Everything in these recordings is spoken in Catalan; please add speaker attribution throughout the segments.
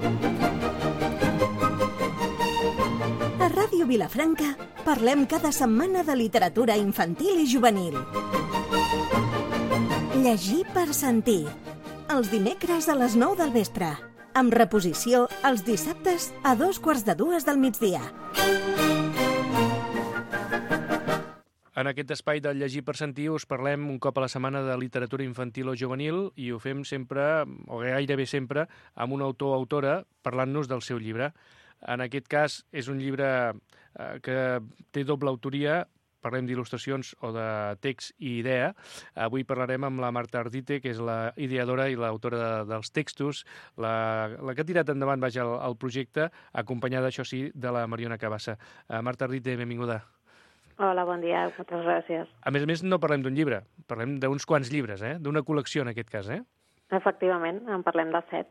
Speaker 1: A Ràdio Vilafranca parlem cada setmana de literatura infantil i juvenil. Llegir per sentir. Els dimecres a les 9 del vespre. Amb reposició els dissabtes a 2:45 del migdia.
Speaker 2: En aquest espai de Llegir per sentir us parlem un cop a la setmana de literatura infantil o juvenil i ho fem sempre, o gairebé sempre, amb un autor o autora parlant-nos del seu llibre. En aquest cas és un llibre que té doble autoria, parlem d'il·lustracions o de text i idea. Avui parlarem amb la Marta Ardite, que és la ideadora i l'autora dels textos, la que ha tirat endavant el projecte, acompanyada, això sí, de la Mariona Cabassa. Marta Ardite, benvinguda.
Speaker 3: Hola, bon dia, moltes gràcies.
Speaker 2: A més, no parlem d'un llibre, parlem d'uns quants llibres, d'una col·lecció en aquest cas,
Speaker 3: Efectivament, en parlem de 7.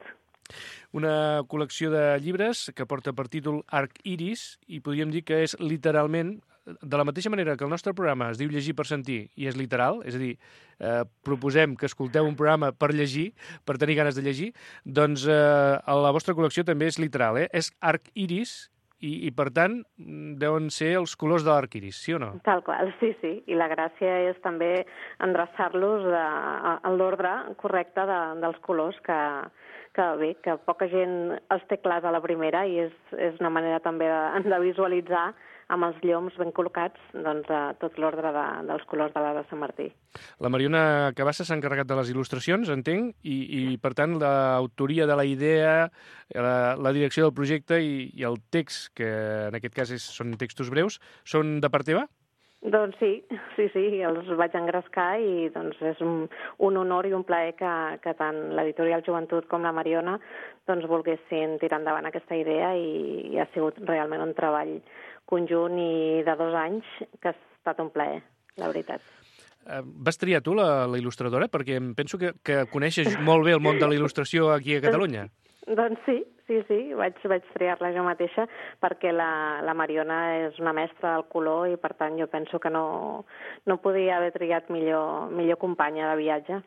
Speaker 2: Una col·lecció de llibres que porta per títol Arc Iris i podríem dir que és literalment, de la mateixa manera que el nostre programa es diu Llegir per sentir i és literal, és a dir, proposem que escolteu un programa per llegir, per tenir ganes de llegir, doncs la vostra col·lecció també és literal, És Arc Iris i per tant, deuen ser els colors de l'arc iris, sí o no?
Speaker 3: Tal qual, sí. I la gràcia és també endreçar-los a l'ordre correcte dels colors que poca gent els té clars a la primera i és una manera també de visualitzar amb els lloms ben col·locats tot l'ordre dels colors de l'Arc de Sant Martí.
Speaker 2: La Mariona Cabassa s'ha encarregat de les il·lustracions, entenc, i per tant l'autoria de la idea, la direcció del projecte i el text, que en aquest cas són textos breus, són de part teva?
Speaker 3: Doncs sí, els vaig engrescar i és un honor i un plaer que tant l'editorial Joventut com la Mariona volguessin tirar endavant aquesta idea i ha sigut realment un treball conjunt i de 2 anys que ha estat un plaer, la veritat.
Speaker 2: Vas triar tu la il·lustradora? Perquè em penso que coneixes molt bé el món de la il·lustració aquí a Catalunya.
Speaker 3: Doncs sí, vaig triar-la jo mateixa perquè la Mariona és una mestra del color i per tant jo penso que no podia haver triat millor companya de viatge.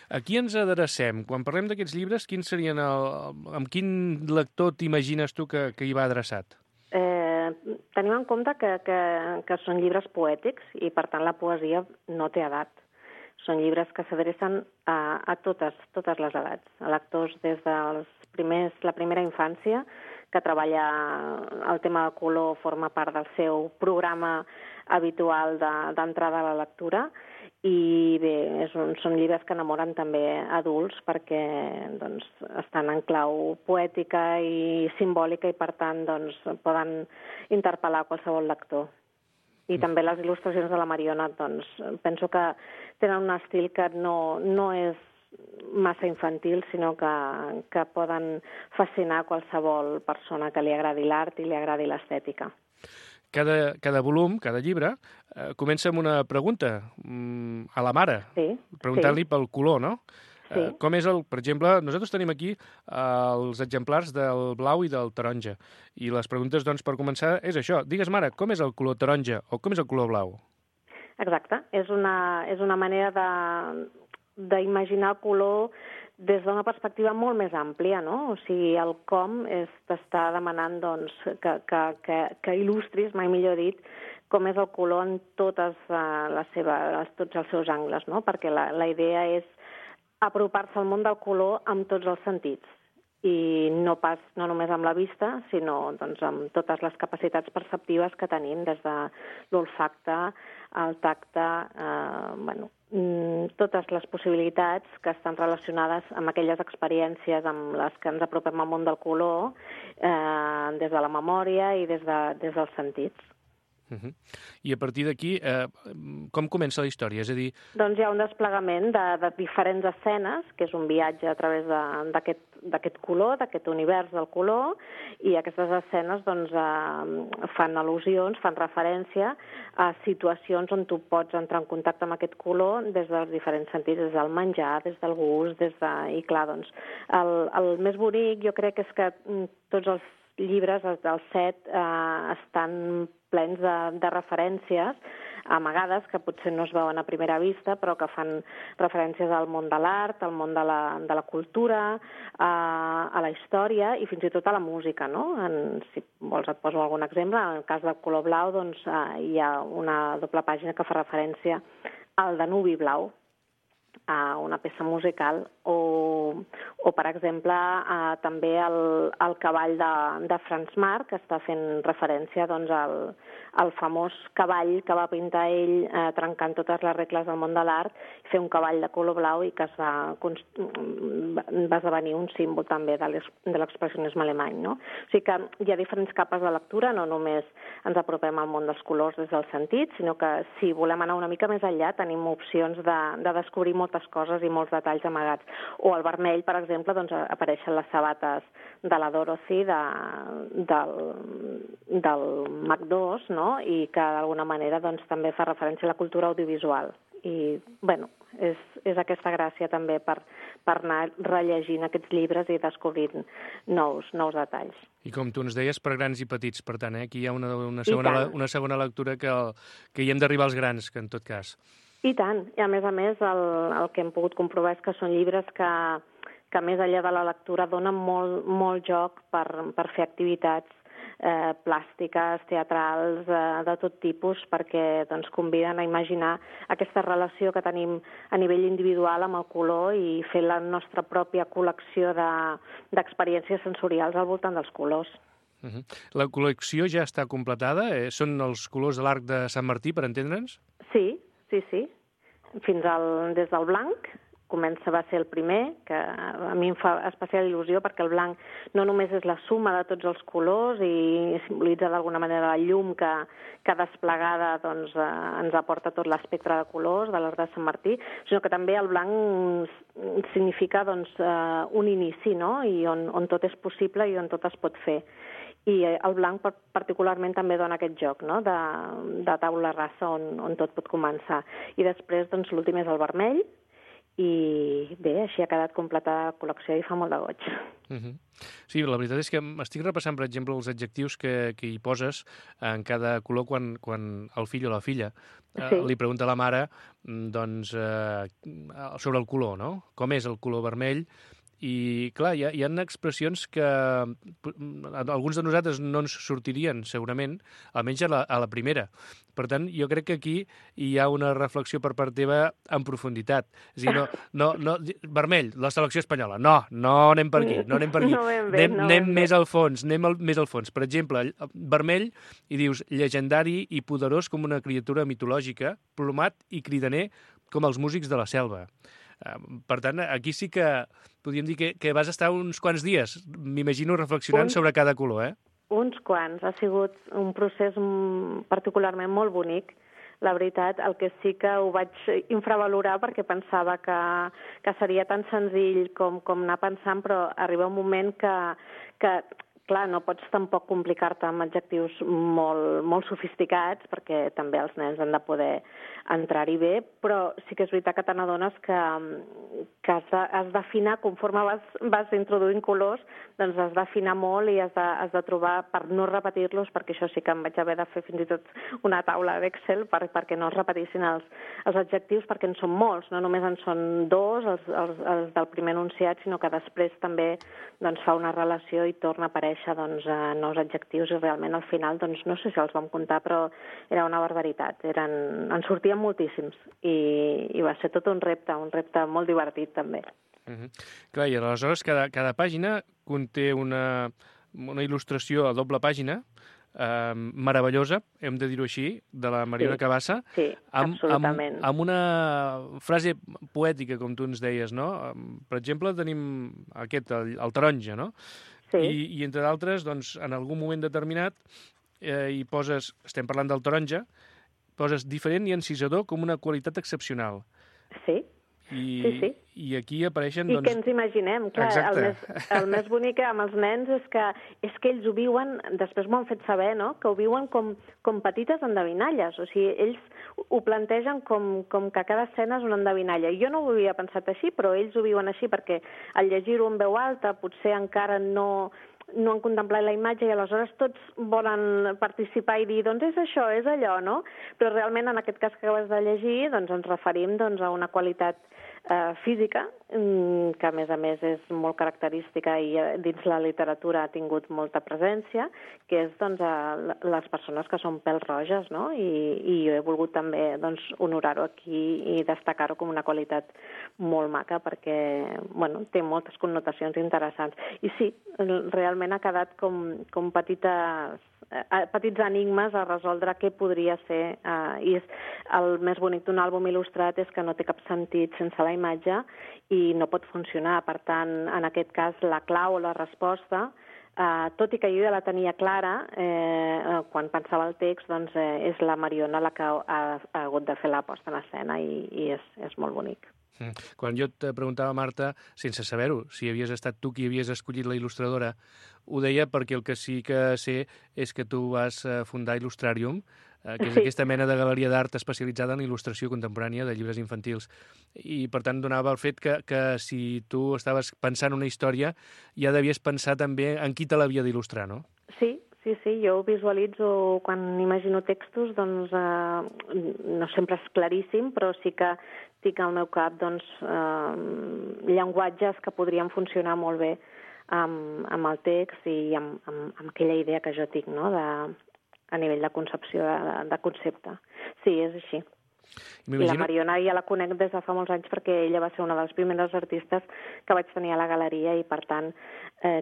Speaker 2: A qui ens adrecem? Quan parlem d'aquests llibres, quins serien amb quin lector t'imagines tu que hi va adreçat?
Speaker 3: Tenim en compte que són llibres poètics i, per tant, la poesia no té edat. Són llibres que s'adrecen a totes les edats, a lectors des de la primera infància, que treballa el tema de color, forma part del seu programa habitual d'entrada a la lectura, i bé, són llibres que enamoren també adults perquè estan en clau poètica i simbòlica i per tant poden interpel·lar qualsevol lector. I també les il·lustracions de la Mariona penso que tenen un estil que no és massa infantil, sinó que poden fascinar qualsevol persona que li agradi l'art i li agradi l'estètica.
Speaker 2: Cada volum, cada llibre, comença amb una pregunta a la mare, preguntant-li pel color, no?
Speaker 3: Sí.
Speaker 2: Com és per exemple, nosaltres tenim aquí els exemplars del blau i del taronja, i les preguntes, per començar, és això. Digues, mare, com és el color taronja o com és el color blau?
Speaker 3: Exacte. És una manera d'imaginar el color des d'una perspectiva molt més àmplia, no? O sigui, el com t'està demanant que il·lustris, mai millor dit, com és el color en tots els seus angles, no? Perquè la idea és apropar-se al món del color amb tots els sentits i no només amb la vista, sinó amb totes les capacitats perceptives que tenim, des de l'olfacte, el tacte, totes les possibilitats que estan relacionades amb aquelles experiències amb les que ens apropem al món del color des de la memòria i des dels sentits.
Speaker 2: I a partir d'aquí, com comença la història? És a dir...
Speaker 3: Doncs hi ha un desplegament de diferents escenes, que és un viatge a través d'aquest color, d'aquest univers del color, i aquestes escenes fan al·lusions, fan referència a situacions on tu pots entrar en contacte amb aquest color des dels diferents sentits, des del menjar, des del gust, i clar, el més bonic jo crec és que tots els llibres, els 7, estan plens de referències amagades, que potser no es veuen a primera vista, però que fan referències al món de l'art, al món de la cultura, a la història i fins i tot a la música, no? Si vols et poso algun exemple. En el cas del color blau, doncs, hi ha una doble pàgina que fa referència al Danubi blau, a una peça musical, o per exemple, també el cavall de Franz Marc, que està fent referència doncs, al famós cavall que va pintar ell trencant totes les regles del món de l'art, fer un cavall de color blau i que va esdevenir un símbol també de l'expressionisme alemany. No? O sigui que hi ha diferents capes de lectura, no només ens apropem al món dels colors des del sentit, sinó que si volem anar una mica més enllà tenim opcions de descobrir moltes coses i molts detalls amagats. O al vermell, per exemple, doncs, apareixen les sabates de la Dorothy del Mac 2, no? I que d'alguna manera doncs, també fa referència a la cultura audiovisual. I, bueno, és aquesta gràcia també per anar rellegint aquests llibres i descobrint nous detalls.
Speaker 2: I com tu ens deies, per grans i petits, per tant, aquí hi ha una segona lectura que hi hem d'arribar als grans, que en tot cas.
Speaker 3: I tant, i a més, el que hem pogut comprovar és que són llibres que més enllà de la lectura donen molt joc per fer activitats plàstiques, teatrals, de tot tipus, perquè doncs, conviden a imaginar aquesta relació que tenim a nivell individual amb el color i fer la nostra pròpia col·lecció d'experiències sensorials al voltant dels colors.
Speaker 2: La col·lecció ja està completada? Són els colors de l'arc de Sant Martí, per entendre'ns?
Speaker 3: Sí. Des del blanc, va ser el primer, que a mi em fa especial il·lusió perquè el blanc no només és la suma de tots els colors i simbolitza d'alguna manera la llum que desplegada doncs, ens aporta tot l'espectre de colors de l'arc de Sant Martí, sinó que també el blanc significa doncs, un inici, no? I on tot és possible i on tot es pot fer. I el blanc particularment també dona aquest joc, no? de taula rasa on tot pot començar. I després doncs, l'últim és el vermell, i bé, així ha quedat completada la col·lecció i fa molt de goig.
Speaker 2: Sí, la veritat és que estic repassant, per exemple, els adjectius que hi poses en cada color quan el fill o la filla li pregunta a la mare doncs, sobre el color, no? Com és el color vermell? I, clar, hi ha expressions que alguns de nosaltres no ens sortirien, segurament, almenys a la primera. Per tant, jo crec que aquí hi ha una reflexió per part teva en profunditat. És a dir, vermell, la selecció espanyola. No anem per aquí, no anem per aquí. Anem més al fons, més al fons. Per exemple, vermell, i dius, llegendari i poderós com una criatura mitològica, plomat i cridaner com els músics de la selva. Per tant, aquí sí que podríem dir que vas estar uns quants dies, m'imagino, reflexionant sobre cada color, eh?
Speaker 3: Uns quants. Ha sigut un procés particularment molt bonic. La veritat, el que sí que ho vaig infravalorar perquè pensava que seria tan senzill com anar pensant, però arriba un moment que clar, no pots tampoc complicar-te amb adjectius molt sofisticats, perquè també els nens han de poder entrar-hi bé, però sí que és veritat que te n'adones que has d'afinar, conforme vas introduint colors, doncs has d'afinar molt i has de trobar, per no repetir-los, perquè això sí que em vaig haver de fer fins i tot una taula d'Excel perquè no es repetissin els adjectius, perquè en són molts, no només en són dos, els del primer enunciat, sinó que després també doncs, fa una relació i torna a aparèixer doncs, nous adjectius i realment al final, doncs, no sé si els vam comptar, però era una barbaritat. En sortien moltíssims i va ser tot un repte molt divertit també.
Speaker 2: Clar, i aleshores cada pàgina conté una il·lustració a doble pàgina meravellosa, hem de dir-ho així, de la Mariona Cabassa.
Speaker 3: Sí, absolutament.
Speaker 2: Amb una frase poètica, com tu ens deies, no? Per exemple, tenim el taronja, no?
Speaker 3: Sí.
Speaker 2: I entre d'altres, doncs, en algun moment determinat hi poses, estem parlant del taronja, poses diferent i encisador com una qualitat excepcional.
Speaker 3: Sí. Sí.
Speaker 2: I aquí apareixen...
Speaker 3: I què ens imaginem? Clar, el més bonic amb els nens és que ells ho viuen, després m'ho han fet saber, no? Que ho viuen com petites endevinalles. O sigui, ells ho plantegen com que cada escena és una endevinalla. Jo no ho havia pensat així, però ells ho viuen així perquè al llegir-ho en veu alta potser encara no no han contemplat la imatge i aleshores tots volen participar i dir, doncs és això, és allò, no? Però realment en aquest cas que acabes de llegir doncs ens referim doncs, a una qualitat física, que a més és molt característica i dins la literatura ha tingut molta presència, que és doncs, les persones que són pèl roges, no? I jo he volgut també doncs, honorar-ho aquí i destacar-ho com una qualitat molt maca perquè bueno, té moltes connotacions interessants. I sí, realment ha quedat com petits enigmes a resoldre què podria ser. I el més bonic d'un àlbum il·lustrat és que no té cap sentit sense la imatge i no pot funcionar. Per tant, en aquest cas, la clau o la resposta, tot i que jo ja la tenia clara, quan pensava el text, doncs és la Mariona la que ha hagut de fer la posta en escena i és molt bonic.
Speaker 2: Quan jo et preguntava, Marta, sense saber-ho, si havies estat tu qui havies escollit la il·lustradora, ho deia perquè el que sí que sé és que tu vas fundar Illustrarium, que és aquesta mena de galeria d'art especialitzada en il·lustració contemporània de llibres infantils. I, per tant, donava el fet que si tu estaves pensant una història, ja devies pensar també en qui te l'havia d'il·lustrar, no?
Speaker 3: Sí, jo ho visualitzo quan imagino textos, doncs no sempre és claríssim, però sí que tinc al meu cap doncs, llenguatges que podrien funcionar molt bé amb el text i amb aquella idea que jo tinc, no?, a nivell de concepció, de concepte. Sí, és així. I la Mariona ja la conec des de fa molts anys perquè ella va ser una de les primeres artistes que vaig tenir a la galeria i, per tant,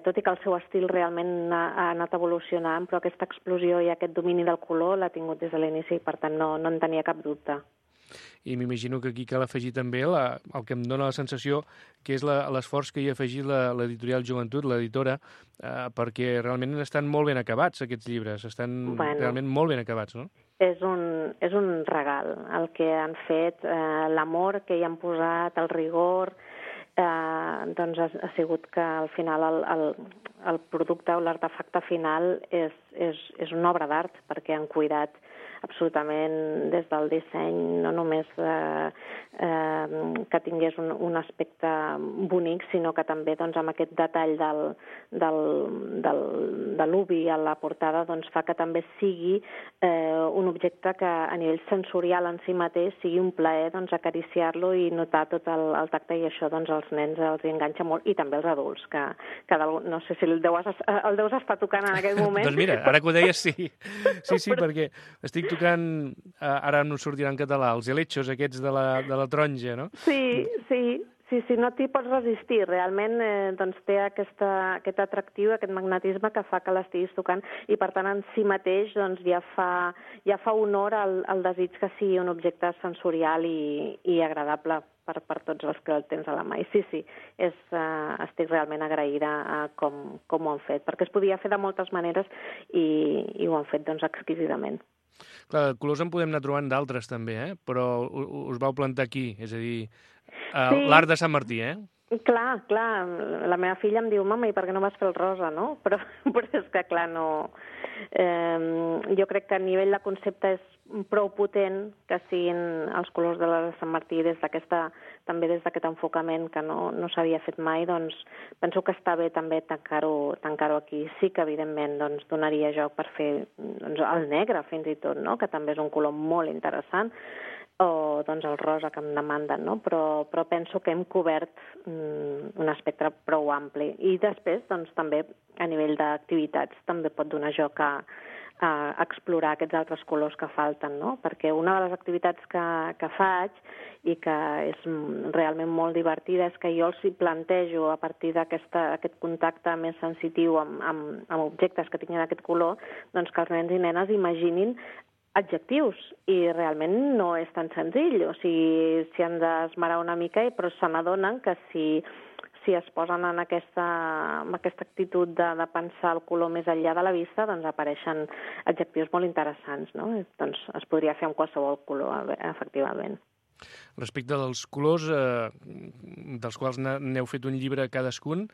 Speaker 3: tot i que el seu estil realment ha anat evolucionant, però aquesta explosió i aquest domini del color l'ha tingut des de l'inici i, per tant, no en tenia cap dubte.
Speaker 2: I m'imagino que aquí cal afegir també el que em dóna la sensació que és l'esforç que hi ha afegit l'editorial Joventut, l'editora, perquè realment estan molt ben acabats aquests llibres, estan realment molt ben acabats, no?
Speaker 3: És un regal el que han fet, l'amor que hi han posat, el rigor, doncs ha sigut que al final el producte o l'artefacte final és una obra d'art perquè han cuidat absolutament des del disseny, no només que tingués un aspecte bonic, sinó que també doncs, amb aquest detall de l'ubi a la portada doncs, fa que també sigui un objecte que a nivell sensorial en si mateix sigui un plaer doncs, acariciar-lo i notar tot el tacte i això doncs, als nens els enganxa molt i també als adults, que no sé si el deus estar tocant en aquest moment.
Speaker 2: Doncs mira, ara que ho deies sí, perquè estic tocant, ara no sortirà en català, els helechos aquests de la taronja, no?
Speaker 3: Sí, no t'hi pots resistir. Realment doncs, té aquest atractiu, aquest magnetisme que fa que l'estiguis tocant i, per tant, en si mateix doncs, ja fa honor al desig que sigui un objecte sensorial i agradable per tots els que el tens a la mà. I sí, estic realment agraïda a com ho han fet, perquè es podia fer de moltes maneres i ho han fet doncs, exquisidament.
Speaker 2: Clar, colors en podem anar trobant d'altres també, però us vau plantar aquí, és a dir, l'art de Sant Martí,
Speaker 3: Clar, la meva filla em diu, mama, i per què no vas fer el rosa, no? Però és que, clar, no... jo crec que a nivell de concepte és prou potent que siguin els colors de la de Sant Martí també des d'aquest enfocament que no s'havia fet mai, doncs penso que està bé també tancar-ho aquí. Sí que, evidentment, doncs, donaria joc per fer doncs, el negre, fins i tot, no? Que també és un color molt interessant, o doncs, el rosa que em demanden, no? Però penso que hem cobert un espectre prou ampli. I després, doncs, també, a nivell d'activitats, també pot donar joc a explorar aquests altres colors que falten, no? Perquè una de les activitats que faig i que és realment molt divertida és que jo els plantejo a partir d'aquest contacte més sensitiu amb objectes que tinguin aquest color, doncs que els nens i nenes imaginin adjectius, i realment no és tan senzill. O sigui, s'hi han d'esmerar una mica, però se n'adonen que si es posen en aquesta actitud de pensar el color més enllà de la vista, doncs apareixen adjectius molt interessants, no? Doncs es podria fer amb qualsevol color, efectivament.
Speaker 2: Respecte dels colors, dels quals n'heu fet un llibre cadascun,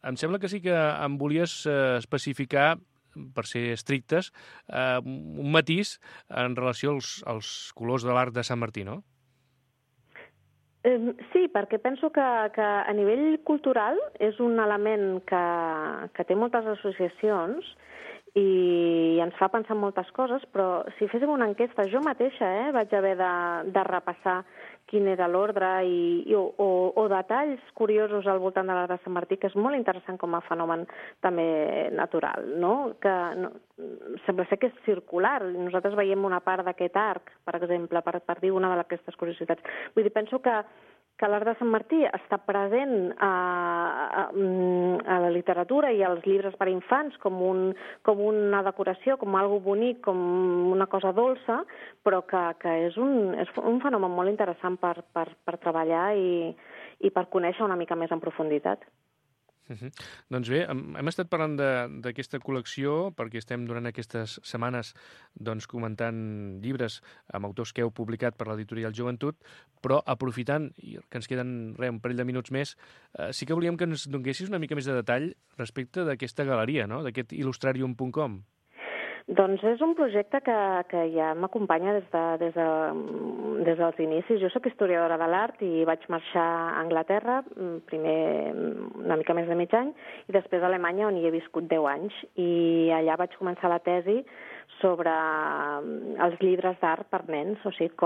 Speaker 2: em sembla que sí que em volies especificar, per ser estrictes, un matís en relació als colors de l'art de Sant Martí, no?
Speaker 3: Sí, perquè penso que a nivell cultural és un element que té moltes associacions i ens fa pensar en moltes coses, però si féssim una enquesta, jo mateixa vaig haver de repassar quin era l'ordre o detalls curiosos al voltant de l'arc de Sant Martí, que és molt interessant com a fenomen també natural, no? Que sembla ser que és circular. Nosaltres veiem una part d'aquest arc, per exemple, per dir una d'aquestes curiositats. Vull dir, penso que l'arc de Sant Martí està present a la literatura i als llibres per a infants com una decoració, com algo bonic, com una cosa dolça, però que és un fenomen molt interessant per treballar i per conèixer una mica més en profunditat.
Speaker 2: Doncs bé, hem estat parlant d'aquesta col·lecció perquè estem durant aquestes setmanes comentant llibres amb autors que heu publicat per l'editorial Joventut, però aprofitant, i que ens queden un parell de minuts més, sí que volíem que ens donessis una mica més de detall respecte d'aquesta galeria, no? D'aquest illustrarium.com.
Speaker 3: Doncs és un projecte que ja m'acompanya des dels inicis. Jo soc historiadora de l'art i vaig marxar a Anglaterra, primer una mica més de mig any, i després a Alemanya, on hi he viscut 10 anys. I allà vaig començar la tesi sobre els llibres d'art per nens, o sigui,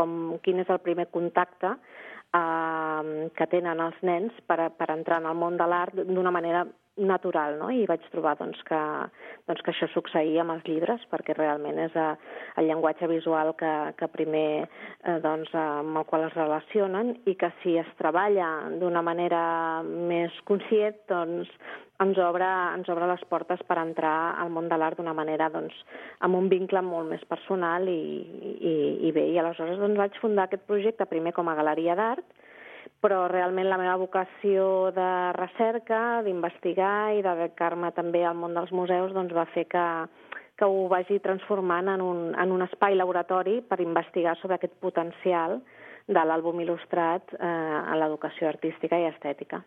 Speaker 3: quin és el primer contacte que tenen els nens per entrar en el món de l'art d'una manera natural, no? I vaig trobar que això succeïa amb els llibres, perquè realment és el llenguatge visual que primer amb el qual es relacionen, i que si es treballa d'una manera més conscient, doncs ens obre les portes per entrar al món de l'art d'una manera amb un vincle molt més personal i bé. I aleshores vaig fundar aquest projecte primer com a galeria d'art, però realment la meva vocació de recerca, d'investigar i de dedicar-me també al món dels museus va fer que ho vagi transformant en un espai laboratori per investigar sobre aquest potencial de l'àlbum il·lustrat a l'educació artística i estètica.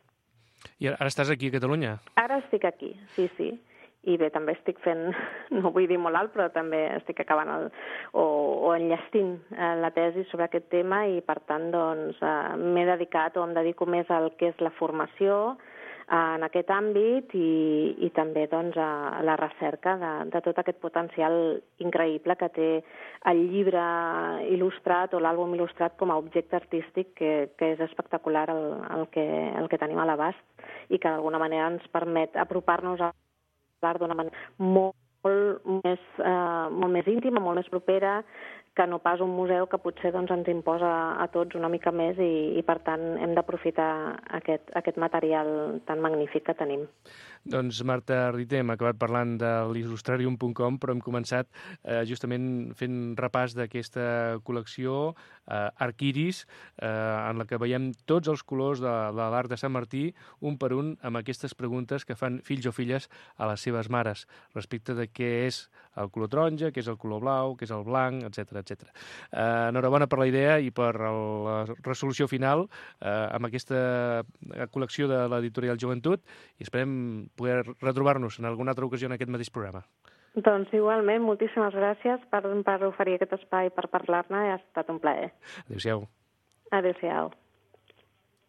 Speaker 2: I ara estàs aquí a Catalunya?
Speaker 3: Ara estic aquí, sí. I bé, també estic fent, no vull dir molt alt, però també estic acabant o enllestint la tesi sobre aquest tema i, per tant, m'he dedicat o em dedico més al que és la formació en aquest àmbit i també a la recerca de tot aquest potencial increïble que té el llibre il·lustrat o l'àlbum il·lustrat com a objecte artístic que és espectacular el que tenim a l'abast i que d'alguna manera ens permet apropar-nos a l'art d'una manera molt més íntima, molt més propera, que no pas un museu que potser ens imposa a tots una mica més i per tant, hem d'aprofitar aquest material tan magnífic que tenim.
Speaker 2: Doncs, Marta Riter, hem acabat parlant de l'illustrarium.com, però hem començat justament fent repàs d'aquesta col·lecció Arquiris, en la que veiem tots els colors de l'art de Sant Martí, un per un, amb aquestes preguntes que fan fills o filles a les seves mares, respecte de què és el color taronja, què és el color blau, què és el blanc, etc. Enhorabona per la idea i per la resolució final amb aquesta col·lecció de l'editorial Joventut i esperem poder retrobar-nos en alguna altra ocasió en aquest mateix programa.
Speaker 3: Doncs igualment, moltíssimes gràcies per oferir aquest espai per parlar-ne, ha estat un plaer.
Speaker 2: Adéu-siau.
Speaker 3: Adéu-siau.